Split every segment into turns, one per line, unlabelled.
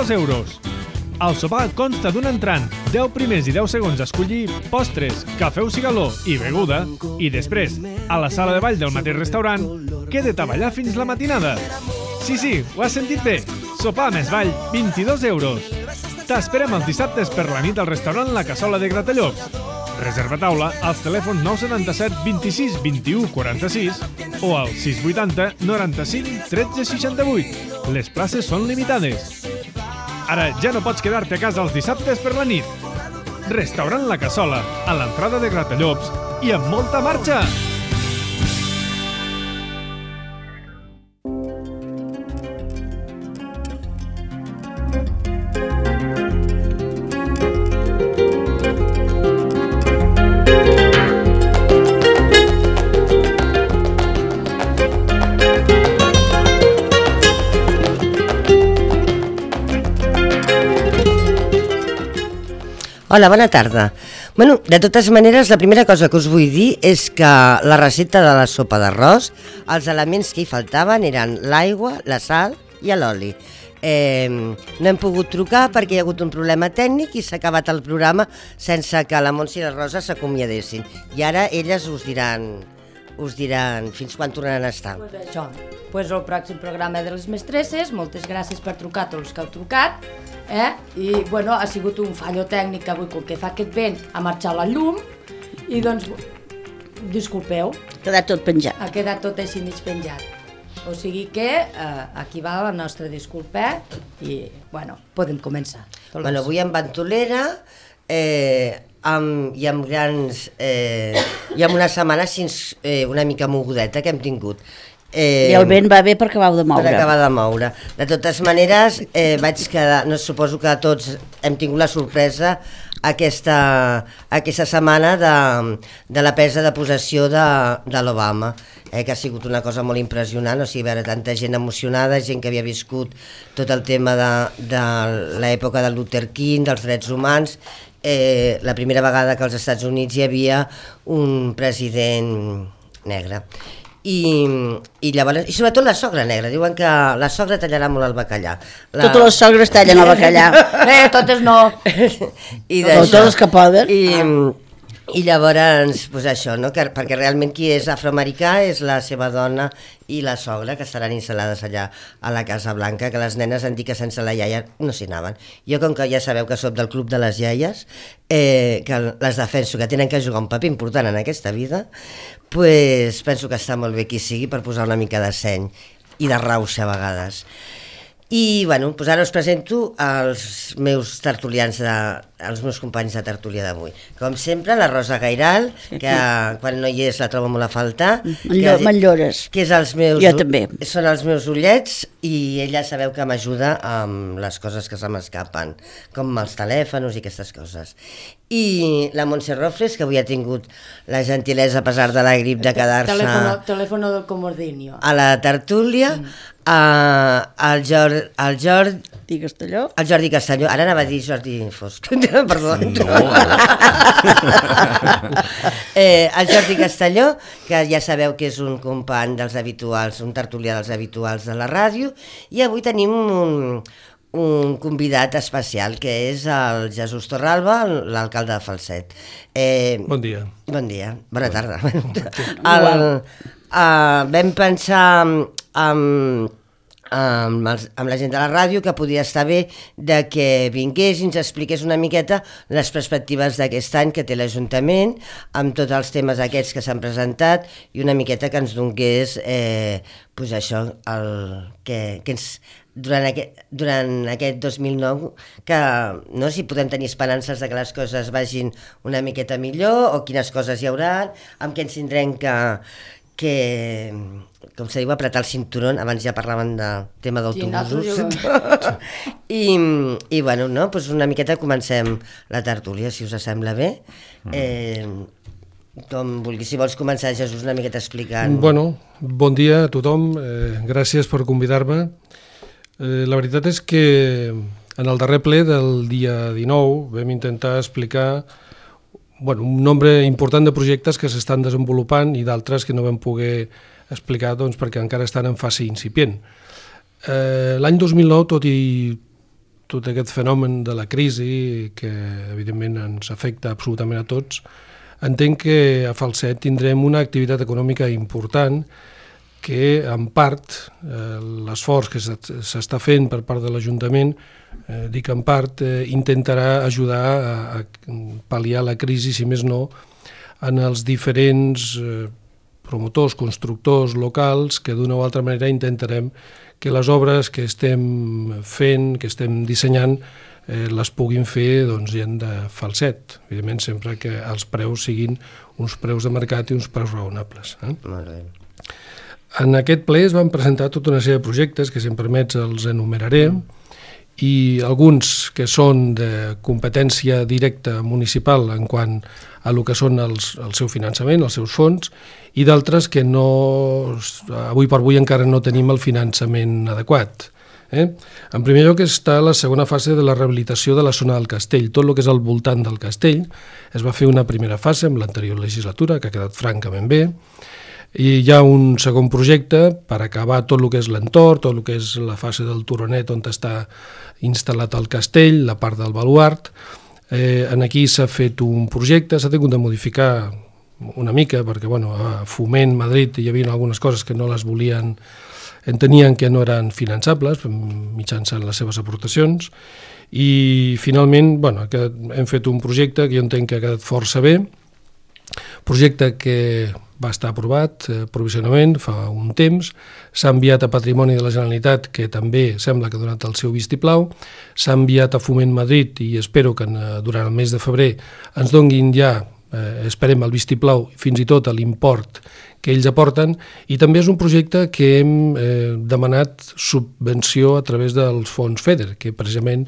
€22. El sopar consta d'un entrant, 10 primers i 10 segons a escollir, postres, cafè o cigaló i beguda, i després, a la sala de ball del mateix restaurant, queda't a ballar fins la matinada. Sí, ho has sentit bé. Sopar més ball, €22. T'esperem els dissabtes per la nit al restaurant La Cassola de Gratallops. Reserva taula als telèfons 977 26 21 46 o al 680 95 13 68. Les places són limitades. Ara ja no pots quedar-te a casa els dissabtes per la nit. Restaurant La Cassola, a l'entrada de Gratallops i amb molta marxa!
Hola, bona tarda. Bueno, de totes maneres, la primera cosa que us vull dir és que la recepta de la sopa d'arròs, els elements que hi faltaven eren l'aigua, la sal i l'oli. No hem pogut trucar perquè hi ha hagut un problema tècnic i s'ha acabat el programa sense que la Montse i la Rosa s'acomiadessin. I ara elles us diran fins quan tornaran a estar.
Pues això, el pròxim programa de les mestresses, moltes gràcies per trucar a tots els que heu trucat, i bueno, ha sigut un fallo tècnic avui, com que fa aquest vent, ha marxat la llum i doncs, disculpeu.
Ha quedat tot penjat.
Ha quedat tot així mig penjat. O sigui que aquí va la nostra disculpa i, bueno, podem començar.
Bueno, avui amb ventolera i amb grans... i amb una setmana així una mica mogudeta que hem tingut.
I el vent va bé per acabar de moure.
Per acabar de moure. De totes maneres, vaig quedar... No, suposo que tots hem tingut la sorpresa aquesta setmana de la presa de possessió de l'Obama, que ha sigut una cosa molt impressionant, o sigui, veure tanta gent emocionada, gent que havia viscut tot el tema de l'època de Luther King, dels drets humans, la primera vegada que als Estats Units hi havia un president negre. I llavors, i sobretot la sogra negra, diuen que la sogra tallarà molt el bacallà.
Totes les sogres tallen el bacallà.
Totes no.
Totes les que poden.
I llavors, doncs això, no? Perquè realment qui és afroamericà és la seva dona i la sogra, que estaran instal·lades allà a la Casa Blanca, que les nenes han dit que sense la iaia no s'hi anaven. Jo, com que ja sabeu que soc del club de les iaies, que les defenso, que tenen que jugar un paper important en aquesta vida, doncs penso que està molt bé qui sigui per posar una mica de seny i de rauxa a vegades. I bueno, doncs ara us presento els meus tertulians, els meus companys de tertúlia d'avui. Com sempre, la Rosa Gairal, que quan no hi és la trobo molt a faltar.
M'enllores.
Que és els meus,
jo també.
Són els meus ullets i ella sabeu que m'ajuda amb les coses que se m'escapen, com els telèfons i aquestes coses. I la Montse Rofles, que avui ha tingut la gentilesa, a pesar de la grip, de quedar-se...
Telèfono del comodinio.
A la tertúlia, el Jordi Castelló, ara anava a dir Jordi Fosc, perdó. No. El Jordi Castelló, que ja sabeu que és un company dels habituals, un tertulià dels habituals de la ràdio, i avui tenim un convidat especial, que és el Jesús Torralba, l'alcalde de Falset.
Bon dia.
Bon dia, bona tarda. Vam pensar amb la gent de la ràdio que podia estar bé de que vingués i ens expliqués una miqueta les perspectives d'aquest any que té l'Ajuntament amb tots els temes aquests que s'han presentat i una miqueta que ens donés pues això, que ens durant aquest 2009 que no, si podem tenir esperances de que les coses vagin una miqueta millor o quines coses hi haurà, amb què ens tindrem que com se diu, apretar el cinturón. Abans ja parlaven del tema d'autobusos. I bueno, no, doncs una miqueta comencem la tertúlia, si us sembla bé. Com vulguis, si vols començar, Jesús, una miqueta explicant.
Bueno, bon dia a tothom, gràcies per convidar-me. La veritat és que en el darrer ple del dia 19 vam intentar explicar un nombre important de projectes que s'estan desenvolupant i d'altres que no vam poder explicar perquè encara estan en fase incipient. L'any 2009, tot i tot aquest fenomen de la crisi, que evidentment ens afecta absolutament a tots, entenc que a Falset tindrem una activitat econòmica important que en part l'esforç que s'està fent per part de l'Ajuntament, dic en part, intentarà ajudar a pal·liar la crisi, si més no, en els diferents promotors, constructors locals que d'una o altra manera intentarem que les obres que estem fent, que estem dissenyant, les puguin fer gent de Falset. Evidentment, sempre que els preus siguin uns preus de mercat i uns preus raonables.
Molt bé.
En aquest ple es van presentar tota una sèrie de projectes que, si em permets, els enumeraré, i alguns que són de competència directa municipal en quant a el que són el seu finançament, els seus fons, i d'altres que avui per avui encara no tenim el finançament adequat. En primer lloc està la segona fase de la rehabilitació de la zona del castell. Tot el que és al voltant del castell es va fer una primera fase amb l'anterior legislatura, que ha quedat francament bé, i hi ha un segon projecte per acabar tot el que és l'entorn, tot el que és la fase del turonet on està instal·lat el castell, la part del baluart. Aquí s'ha fet un projecte, s'ha tingut de modificar una mica perquè a Foment, Madrid, hi havia algunes coses que no les volien, entenien que no eren finançables mitjançant les seves aportacions, i finalment hem fet un projecte que jo entenc que ha quedat força bé, projecte que va estar aprovat provisionalment fa un temps, s'ha enviat a Patrimoni de la Generalitat, que també sembla que ha donat el seu vistiplau, s'ha enviat a Foment Madrid i espero que durant el mes de febrer ens donguin ja, esperem el vistiplau, fins i tot l'import que ells aporten, i també és un projecte que hem demanat subvenció a través dels fons FEDER, que precisament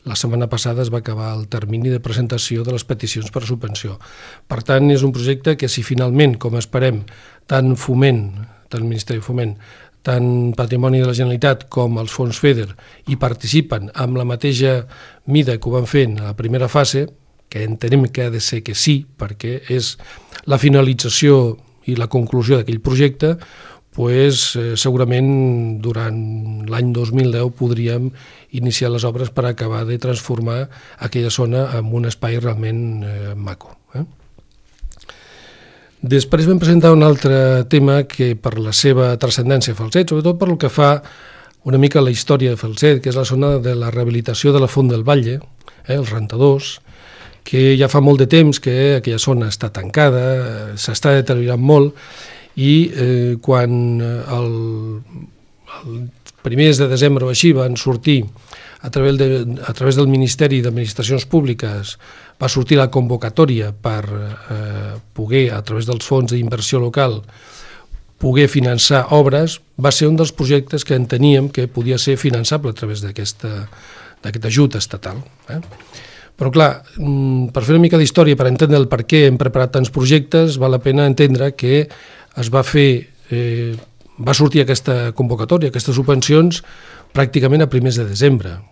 la setmana passada es va acabar el termini de presentació de les peticions per subvenció. Per tant, és un projecte que si finalment, com esperem, tant Foment, tant el Ministeri de Foment, tant Patrimoni de la Generalitat com els fons FEDER hi participen amb la mateixa mida que ho van fent a la primera fase, que entenem que ha de ser que sí, perquè és la finalització i la conclusió d'aquell projecte, segurament durant l'any 2010 podríem iniciar les obres per acabar de transformar aquella zona en un espai realment maco. Després vam presentar un altre tema que per la seva transcendència a Falset, sobretot per el que fa una mica la història de Falset, que és la zona de la rehabilitació de la Font del Batlle, els rentadors, que ja fa molt de temps que aquella zona està tancada, s'està deteriorant molt, i quan el primers de desembre o així van sortir a través del Ministeri d'Administracions Públiques, va sortir la convocatòria per poder, a través dels fons d'inversió local, poder finançar obres, va ser un dels projectes que enteníem que podia ser finançable a través d'aquest ajut estatal. Però clar, per fer una mica d'història, per entendre el per què hem preparat tants projectes, val la pena entendre que va sortir aquesta convocatòria, aquestes subvencions, pràcticament a primers de desembre.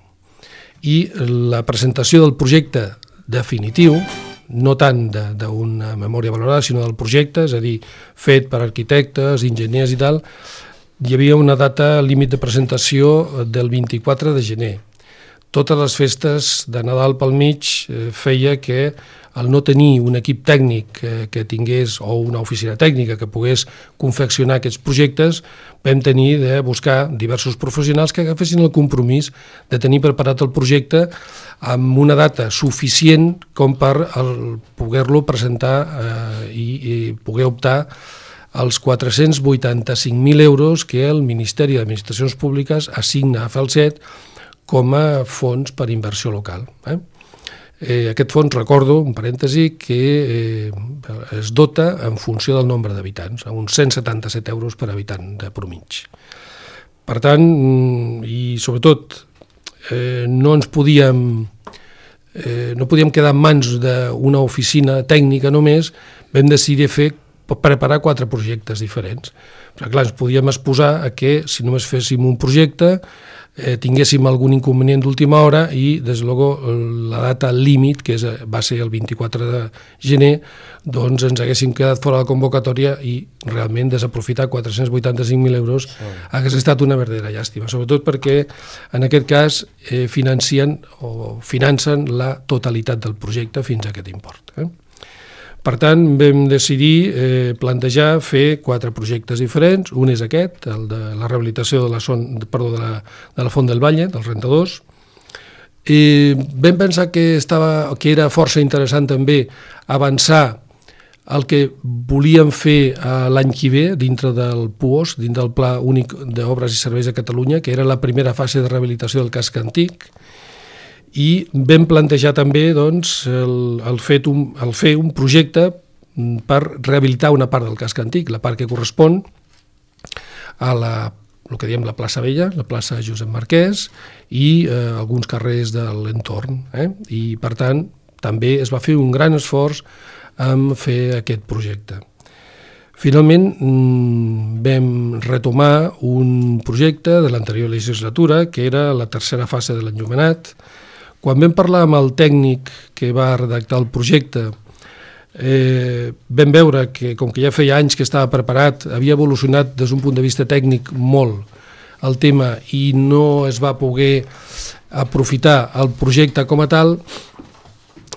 I la presentació del projecte definitiu, no tant d'una memòria valorada, sinó del projecte, és a dir, fet per arquitectes, enginyers i tal, hi havia una data límit de presentació del 24 de gener. Totes les festes de Nadal pel mig feia que el no tenir un equip tècnic que tingués, o una oficina tècnica que pogués confeccionar aquests projectes, vam tenir de buscar diversos professionals que agafessin el compromís de tenir preparat el projecte amb una data suficient com per poder-lo presentar i poder optar als 485.000 euros que el Ministeri d'Administracions Públiques assigna a Falset com a fons per inversió local. Aquest fons, recordo, un parèntesi, que es dota en funció del nombre d'habitants, a uns 177 euros per habitant de promig. Per tant, i sobretot, no podíem quedar en mans d'una oficina tècnica només, vam decidir preparar 4 projectes diferents. Però clar, ens podíem exposar a que, si només féssim un projecte, tinguéssim algun inconvenient d'última hora i, des de luego, la data límit, que va ser el 24 de gener, doncs ens haguéssim quedat fora de la convocatòria i realment desaprofitar 485.000 euros hagués estat una verdadera llàstima, sobretot perquè en aquest cas financen la totalitat del projecte fins a aquest import. Per tant, vam decidir plantejar fer 4 projectes diferents. Un és aquest, el de la rehabilitació de la Font del Valle, dels rentadors. Vam pensar que era força interessant també avançar el que volíem fer l'any que ve dintre del PUOS, dintre del Pla Únic d'Obres i Serveis de Catalunya, que era la primera fase de rehabilitació del casc antic, i vam plantejar també doncs, el fer un projecte per rehabilitar una part del casc antic, la part que correspon a el que diem la plaça Vella, la plaça Josep Marquès i alguns carrers de l'entorn. I per tant també es va fer un gran esforç en fer aquest projecte. Finalment vam retomar un projecte de l'anterior legislatura que era la tercera fase de l'enllumenat. Quan vam parlar amb el tècnic que va redactar el projecte, vam veure que, com que ja feia anys que estava preparat, havia evolucionat des d'un punt de vista tècnic molt el tema i no es va poder aprofitar el projecte com a tal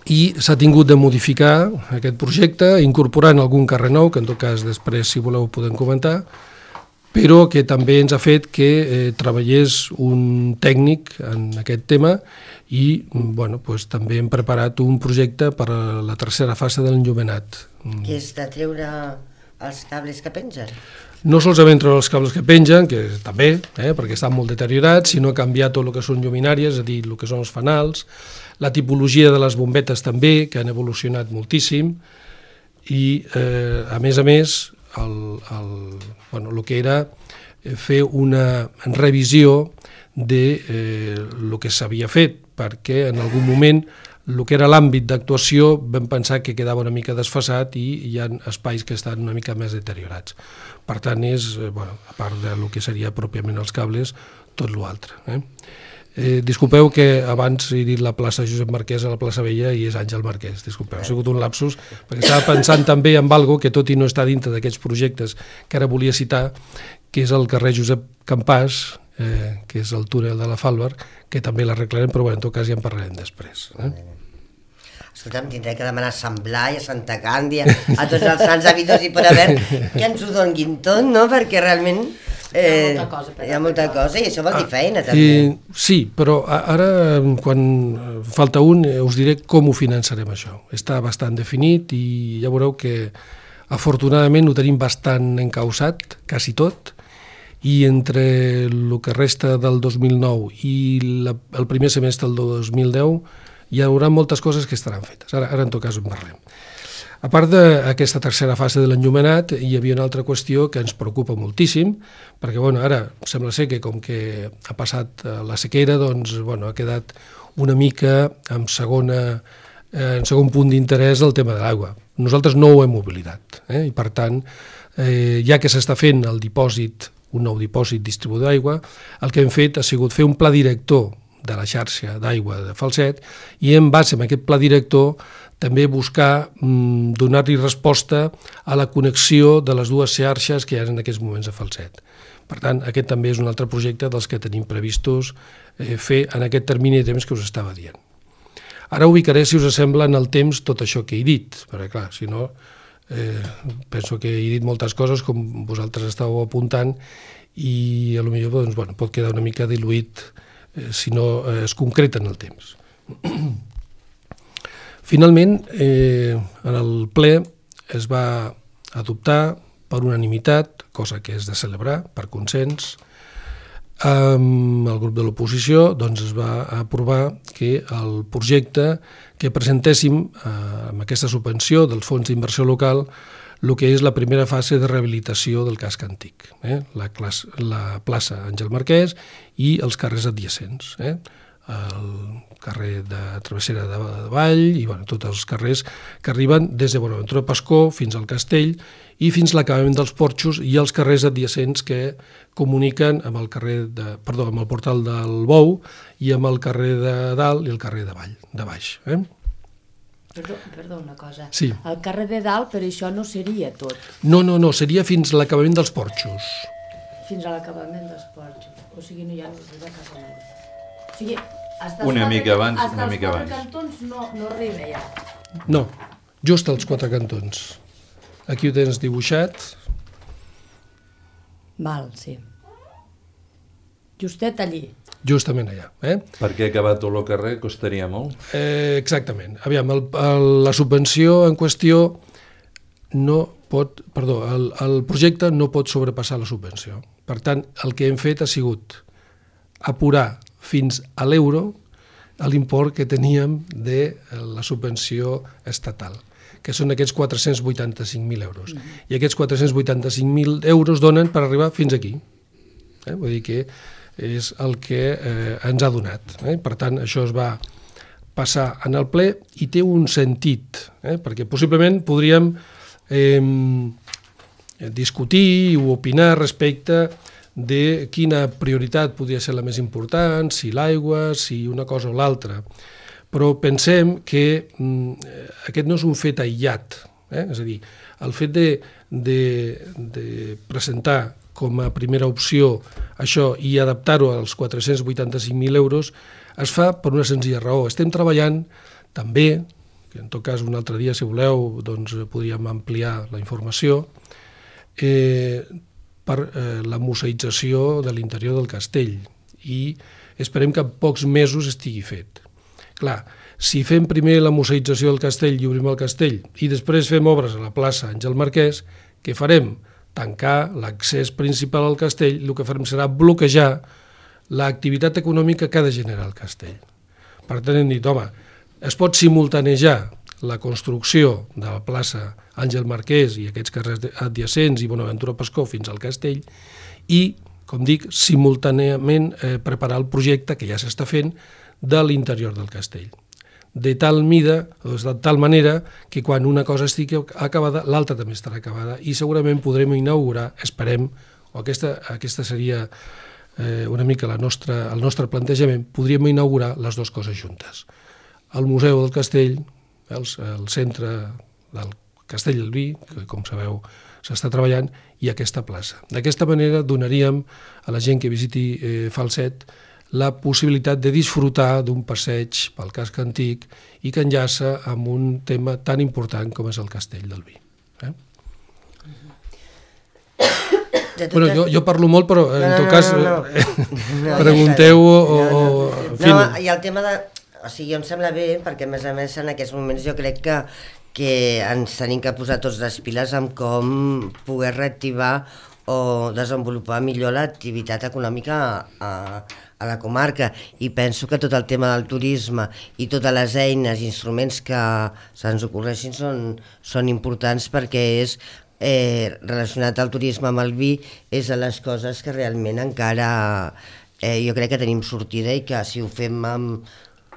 i s'ha tingut de modificar aquest projecte incorporant algun carrer nou, que en tot cas després, si voleu, ho podem comentar, però que també ens ha fet que treballés un tècnic en aquest tema i també hem preparat un projecte per a la tercera fase de l'enllumenat.
Que és de treure els cables que pengen?
No solament treure els cables que pengen, que també, perquè estan molt deteriorats, sinó canviar tot el que són lluminàries, és a dir, el que són els fanals, la tipologia de les bombetes també, que han evolucionat moltíssim, i a més, el que era fer una revisió de el que s'havia fet, perquè en algun moment el que era l'àmbit d'actuació vam pensar que quedava una mica desfasat i hi ha espais que estan una mica més deteriorats. Per tant, és, a part del que seria pròpiament els cables, tot l'altre. Disculpeu que abans he dit la plaça Josep Marquès a la plaça Vella i és Àngel Marquès, disculpeu, ha sigut un lapsus, perquè estava pensant també en algo que tot i no està dintre d'aquests projectes que ara volia citar, que és el carrer Josep Campàs, que és el túnel de la Fàlber, que també l'arreglarem, però en tot cas ja en parlarem després.
Escolta'm, tindré que demanar a Sant Blai, a Santa Càndia, a tots els sants habitos i per haver que ens ho donguin tot, no? Perquè realment hi ha molta cosa i això vol dir feina també.
Sí, però ara quan falta un us diré com ho finançarem això. Està bastant definit i ja veureu que afortunadament ho tenim bastant encausat, quasi tot, i entre el que resta del 2009 i el primer semestre del 2010 hi haurà moltes coses que estaran fetes. Ara en tot cas en parlem. A part d'aquesta tercera fase de l'enllumenat, hi havia una altra qüestió que ens preocupa moltíssim, perquè ara sembla ser que com que ha passat la sequera, doncs ha quedat una mica en segon punt d'interès el tema de l'aigua. Nosaltres no ho hem oblidat, i per tant, ja que s'està fent un nou dipòsit distribuïdor d'aigua, el que hem fet ha sigut fer un pla director de la xarxa d'aigua de Falset i en base a aquest pla director també buscar donar-li resposta a la connexió de les dues xarxes que hi ha en aquests moments a Falset. Per tant, aquest també és un altre projecte dels que tenim previstos fer en aquest termini de temps que us estava dient. Ara ubicaré, si us sembla, en el temps tot això que he dit, perquè clar, si no, penso que he dit moltes coses com vosaltres estàveu apuntant i potser pot quedar una mica diluït si no es concreta en el temps. Finalment, en el ple es va adoptar per unanimitat, cosa que és de celebrar, per consens, amb el grup de l'oposició es va aprovar que el projecte que presentéssim amb aquesta subvenció dels fons d'inversió local el que és la primera fase de rehabilitació del casc antic, la plaça Àngel Marquès i els carrers adjacents, el carrer de Travessera de Vall i tots els carrers que arriben des de Bonaventura Pascó fins al Castell i fins l'acabament dels porxos i els carrers adjacents que comuniquen amb el amb el portal del Bou i amb el carrer de Dalt i el carrer de Baix.
Perdó, una cosa.
Sí.
El carrer de Dalt, per això no seria tot.
No, seria fins a l'acabament dels porxos.
Fins a l'acabament dels porxos. O sigui, no hi ha res a casa meva. O sigui,
una mica abans.
Hasta els 4 cantons no arriba ja.
No, just als 4 cantons. Aquí ho tens dibuixat.
Val, sí. Justet allí.
Justament allà.
Perquè acabar tot el carrer costaria molt?
Exactament. Aviam, la subvenció en qüestió el projecte no pot sobrepassar la subvenció. Per tant, el que hem fet ha sigut apurar fins a l'euro l'import que teníem de la subvenció estatal, que són aquests 485.000 euros. I aquests 485.000 euros donen per arribar fins aquí. Vull dir que és el que ens ha donat. Per tant, això es va passar en el ple i té un sentit, perquè possiblement podríem discutir o opinar respecte de quina prioritat podria ser la més important, si l'aigua, si una cosa o l'altra. Però pensem que aquest no és un fet aïllat. És a dir, el fet de presentar com a primera opció això i adaptar-ho als 485.000 euros es fa per una senzilla raó. Estem treballant també, que en tot cas un altre dia, si voleu, doncs podríem ampliar la informació, per la museïtzació de l'interior del castell i esperem que en pocs mesos estigui fet. Clar, si fem primer la museïtzació del castell i obrim el castell i després fem obres a la plaça Àngel Marquès, què farem? Tancar l'accés principal al castell, el que farem serà bloquejar l'activitat econòmica que ha de generar el castell. Per tant, hem dit, home, es pot simultanejar la construcció de la plaça Àngel Marquès i aquests carrers adjacents i Bonaventura Pascó fins al castell i, com dic, simultàniament preparar el projecte que ja s'està fent de l'interior del castell. De tal manera que quan una cosa estigui acabada, l'altra també estarà acabada i segurament podrem inaugurar, esperem, o aquesta seria una mica el nostre plantejament, podríem inaugurar les dues coses juntes. El Museu del Castell, el centre del Castell del Vi, que com sabeu s'està treballant, i aquesta plaça. D'aquesta manera donaríem a la gent que visiti Falset la possibilitat de disfrutar d'un passeig pel casc antic i que enllaça amb un tema tan important com és el Castell del Vi. Bueno, jo parlo molt, però en tot cas pregunteu o...
No, i el tema de... O sigui, em sembla bé, perquè a més en aquests moments jo crec que ens tenim que posar tots les piles amb com poder reactivar o desenvolupar millor l'activitat econòmica a la comarca, i penso que tot el tema del turisme i totes les eines i instruments que se'ns ocorreixin són importants, perquè és relacionat al turisme amb el vi, és de les coses que realment encara jo crec que tenim sortida, i que si ho fem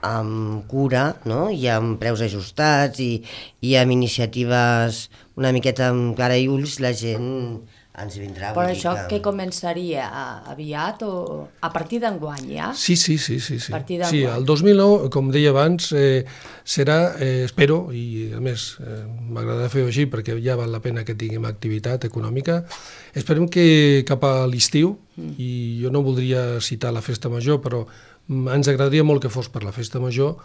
amb cura, no? I amb preus ajustats i amb iniciatives una miqueta amb cara i ulls, la gent ens vindrà.
Però això que començaria aviat o a partir d'enguany ja?
Sí. Sí, el 2009, com deia abans, serà, espero, i a més m'agrada fer-ho així perquè ja val la pena que tinguem activitat econòmica, esperem que cap a l'estiu, i jo no voldria citar la festa major, però ens agradaria molt que fos per la festa major,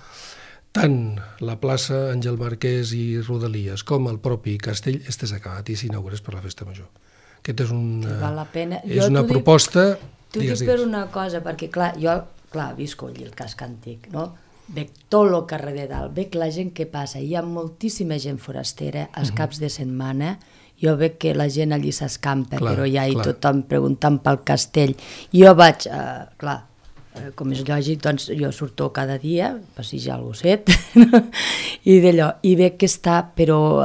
tant la plaça Àngel Marquès i Rodalies com el propi castell estés acabat i s'inaugurés per la festa major. Aquest és una proposta...
T'ho dic per una cosa, perquè jo visco allí el casc antic, no? Veig tot el carrer de dalt, veig la gent que passa, hi ha moltíssima gent forastera als caps de setmana, jo veig que la gent allí s'escampa, però ja hi tothom preguntant pel castell. Jo vaig, com és lògic, doncs jo surto cada dia, passejar el gosset, i d'allò, i veig que està, però